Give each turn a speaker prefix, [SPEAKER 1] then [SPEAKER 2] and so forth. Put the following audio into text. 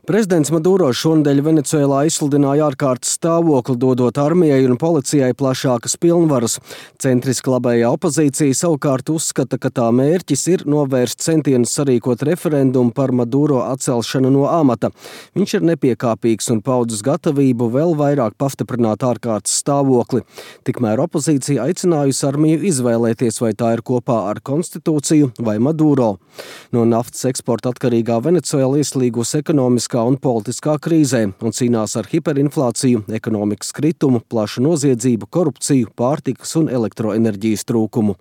[SPEAKER 1] Prezidents Maduro šonedēļ Venecuēlā izsludināja ārkārtas stāvokli, dodot armijai un policijai plašākas pilnvaras. Centriski labējā opozīcija savukārt uzskata, ka tā mērķis ir novērst centienus sarīkot referendumu par Maduro atcelšanu no amata. Viņš ir nepiekāpīgs un paudis gatavību vēl vairāk pastiprināt ārkārtas stāvokli. Tikmēr opozīcija aicinājusi armiju izvēlēties, vai tā ir kopā ar konstitūciju vai Maduro. No naftas eksporta atkarīgā Venecuēla ieslīgusi ekonomiskā un politiskā krīzē un cīnās ar hiperinflāciju, ekonomikas kritumu, plašu noziedzību, korupciju, pārtikas un elektroenerģijas trūkumu.